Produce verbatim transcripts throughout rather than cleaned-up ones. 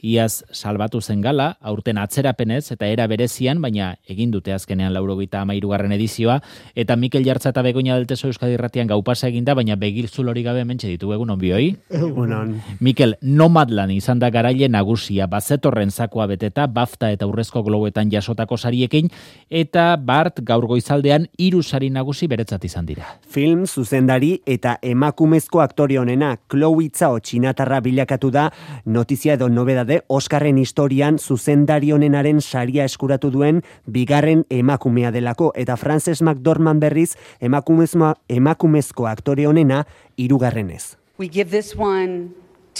iaz salbatu zen gala, aurten atzerapenez eta era berezian, baina egin dute azkenean laurogeita hamairugarren edizioa, eta Mikel Jartza eta Begoña del Teso Euskadi Irratian gaupasa eginda, baina begiltzul hori gabe hementxe ditugu egun onbioi. Egunon. Mikel, Nomadland izan da garaile nagusia, bazetorren zakoa beteta, BAFTA eta Urrezko Globoetan jasotako sariekin, eta Bart gaur goizaldean hiru sari nagusi beretzat izan dira. Film, zuzendari eta emakumezko aktore honena, Chloe Zhao txinatarra bilakatu da, notizia edo nobedade, Oscarren historian zuzendari honenaren saria eskuratu duen bigarren emakumea delako, eta Frances McDormand berriz emakumezko, emakumezko aktore honena hirugarrenez. We give this one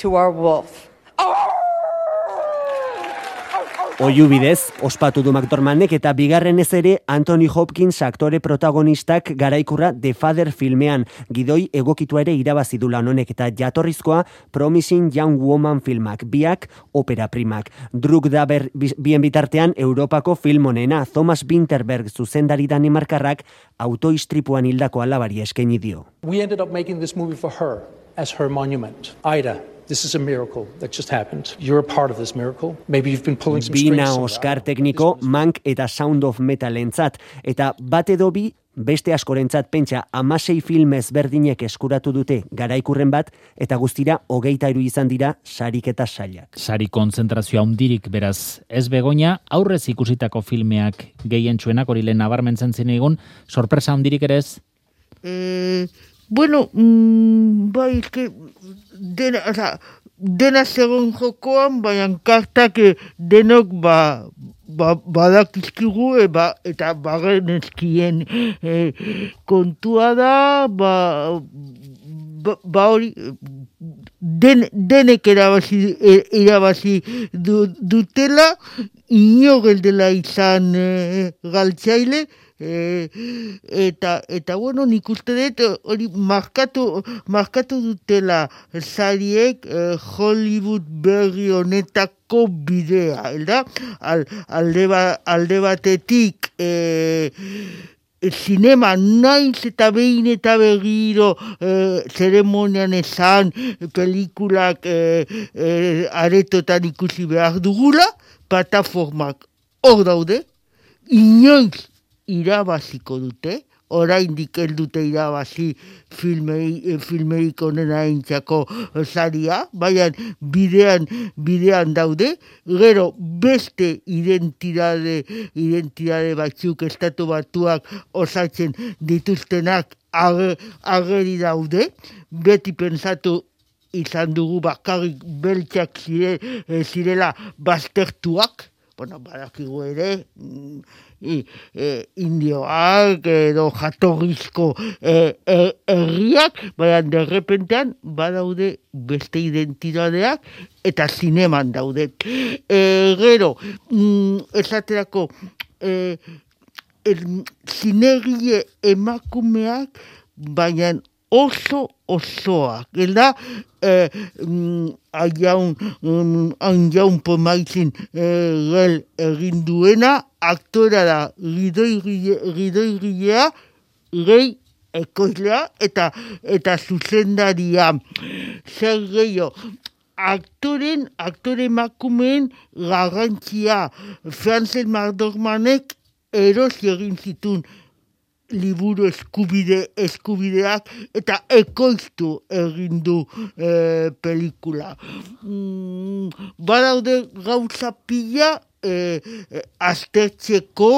to our wolf. Oihu bidez, ospatu du McDormandek eta bigarrenez ere Anthony Hopkins aktore protagonistak garaikurra The Father filmean, gidoi egokitua ere irabazi du lan honek eta jatorrizkoa Promising Young Woman filmak, biak opera primak. Druk da ber, bien bitartean Europako film honena, Thomas Vinterberg zuzendari danimarkarrak autoistripuan hildako alabari eskaini dio. We ended up making this movie for her as her monument. Aida. This is a miracle that just happened. You're a part of this miracle. Maybe you've been pulling some strings. Bina Oscar tekniko, Mank eta Sound of Metalentzat, eta bat edo bi beste askorentzat pentsa hamasei film ezberdinek eskuratu dute garaikurren bat, eta guztira hogeita hiru izan dira sarik eta sailak. Sari kontzentrazioa handirik beraz ez Begoña, aurrez ikusitako filmeak gehientsuenak hori lehen nabarmentzen zinegun, sorpresa handirik ere ez? Eh, bueno, mm, bai, eske dena, o sea, dena segon jokoan, baina kartak denok ba, ba, badakizkigu e, ba, eta bagenezkien e, kontua da, ba, ba, ba hori, den, denek erabazi, erabazi du, dutela, ino geldela izan e, galtzaile, E, eta eta bueno, nik uste dut hori markatu markatu dutela sariek eh, Hollywood berri honetako bidea, elda? Al, alde, ba, alde batetik eh, zinema naiz eta behin eta berriro eh, zeremonian esan pelikulak eh, eh, aretotan ikusi behar dugula, plataformak hor daude, inoiz irabaziko dute, oraindik ez dute irabazi filmei, filmeik onena intzako saria, baina bidean, bidean daude, gero beste identitate, identitate batzuk estatu batuak osatzen dituztenak ageri daude, beti pensatu izan dugu bakarrik beltzak zire, zirela baztertuak, bueno, badakigu ere, I, e, indioak edo jatorrizko herriak, e, baina derrepentean badaude beste identitateak eta zineman daude. E, gero, mm, esaterako, e, zinegie emakumeak, baina oso osoak, gelda, eh, aiaun, aiaun pomaitzin eh, gel egin duena, aktora da gidoigilea, gehi ekoizlea eta eta zuzendaria. Zer gehiago, aktoren, aktore emakumeen garrantzia, Frances McDormandek erosi egin zituen liburu eskubide eskubideak eta ekoiztu egin du e, pelikula. Mm, badaude gauza pila e, e, aztertzeko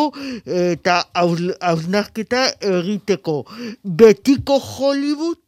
eta hausnarketa egiteko. Betiko Hollywood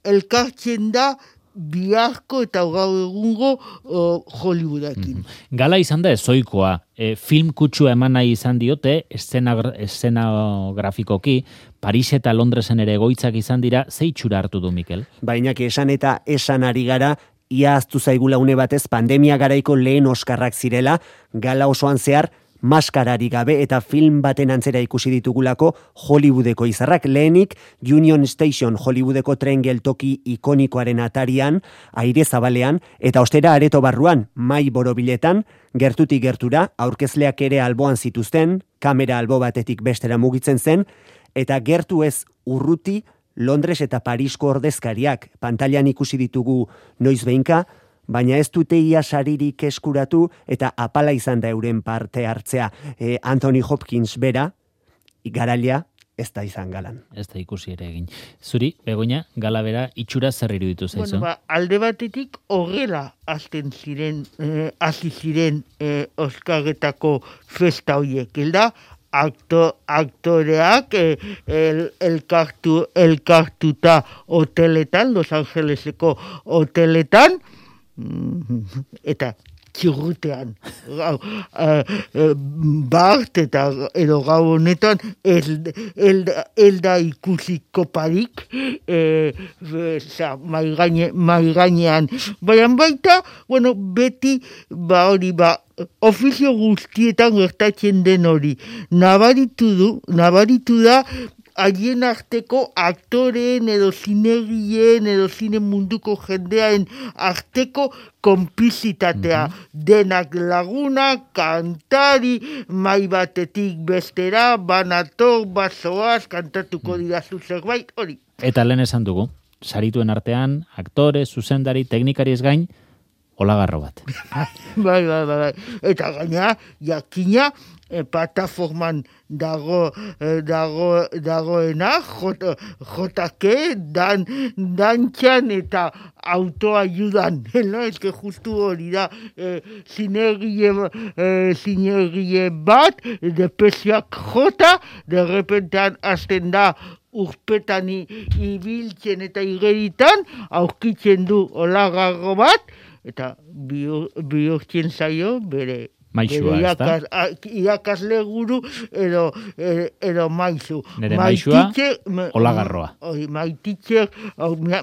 elkartzen da biharko eta gaur egungo uh, Hollywoodekin. Mm. Gala izan da ezoikoa, e, film kutsua eman nahi izan diote, eszenografikoki, Paris eta Londresen ere egoitzak izan dira, ze itxura hartu du Mikel? Baina esan eta esan ari gara, ia aztu zaigula une batez pandemia garaiko lehen Oskarrak zirela, gala osoan zehar, maskarari gabe eta film baten antzera ikusi ditugulako Hollywoodeko izarrak. Lehenik Union Station Hollywoodeko tren geltoki ikonikoaren atarian, aire zabalean, eta ostera areto barruan, mai borobiletan, gertutik gertura, aurkezleak ere alboan zituzten, kamera albo batetik bestera mugitzen zen, eta gertu ez urruti Londres eta Parisko ordezkariak, pantailan ikusi ditugu noiz behinka, baina ez dute ia saririk eskuratu eta apala izan da euren parte hartzea. E, Anthony Hopkins bera, garalia, ez da izan galan. Ez da ikusi ere egin. Zuri, Begoña, gala bera itxura zer iruditu zaizu? Bueno, ba, alde batetik horrela azten ziren, eh, hasi ziren eh, Oskarretako festa horiek, elda, akto, aktoreak eh, el, elkartu, elkartuta hoteletan, Los Angeleseko hoteletan, eta txurrutean. Gau, uh, uh, bart eta edo gau honetan elda, elda ikusiko parik eh, maigainean. Baina baita, bueno, beti ba hori ba, ofizio guztietan gertatzen den hori. Nabaritu du, nabaritu da, haien arteko aktoreen edo zinegien edo zine munduko jendearen arteko konplizitatea. Mm-hmm. Denak lagunak, kantari, mai batetik bestera, banator, bazoaz, kantatuko didazu zerbait, hori. Eta lehen esan dugu, sarituen artean, aktore, zuzendari, teknikari ez gain, olagarro bat. bai, bai, bai. Eta gaina, jakina, e, plataforman dago, e, dago, dagoena, jota, jotake, dan, dantxan eta autoayudan. No? Ez que justu hori da, e, zinergie, e, zinergie bat, depresioak jota, de repentean azten da, urpetan ibiltzen eta igeritan, aurkitzen du olagarro bat, eta bihurtzen zaio bere maixua, ez da? Irakasle guru edo, edo maizu. Nere maixua, olagarroa. Maititzer,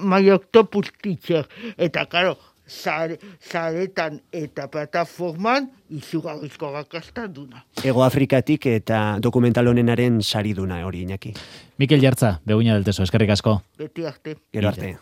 mai octopus teacher. Eta, karo, zaretan eta plataforman izugarrizko gakastaduna. Ego Afrikatik eta dokumental honenaren sariduna hori, Iñaki. Mikel Jartza, Begoña del Teso, eskerrik asko. Beti arte. Gero arte.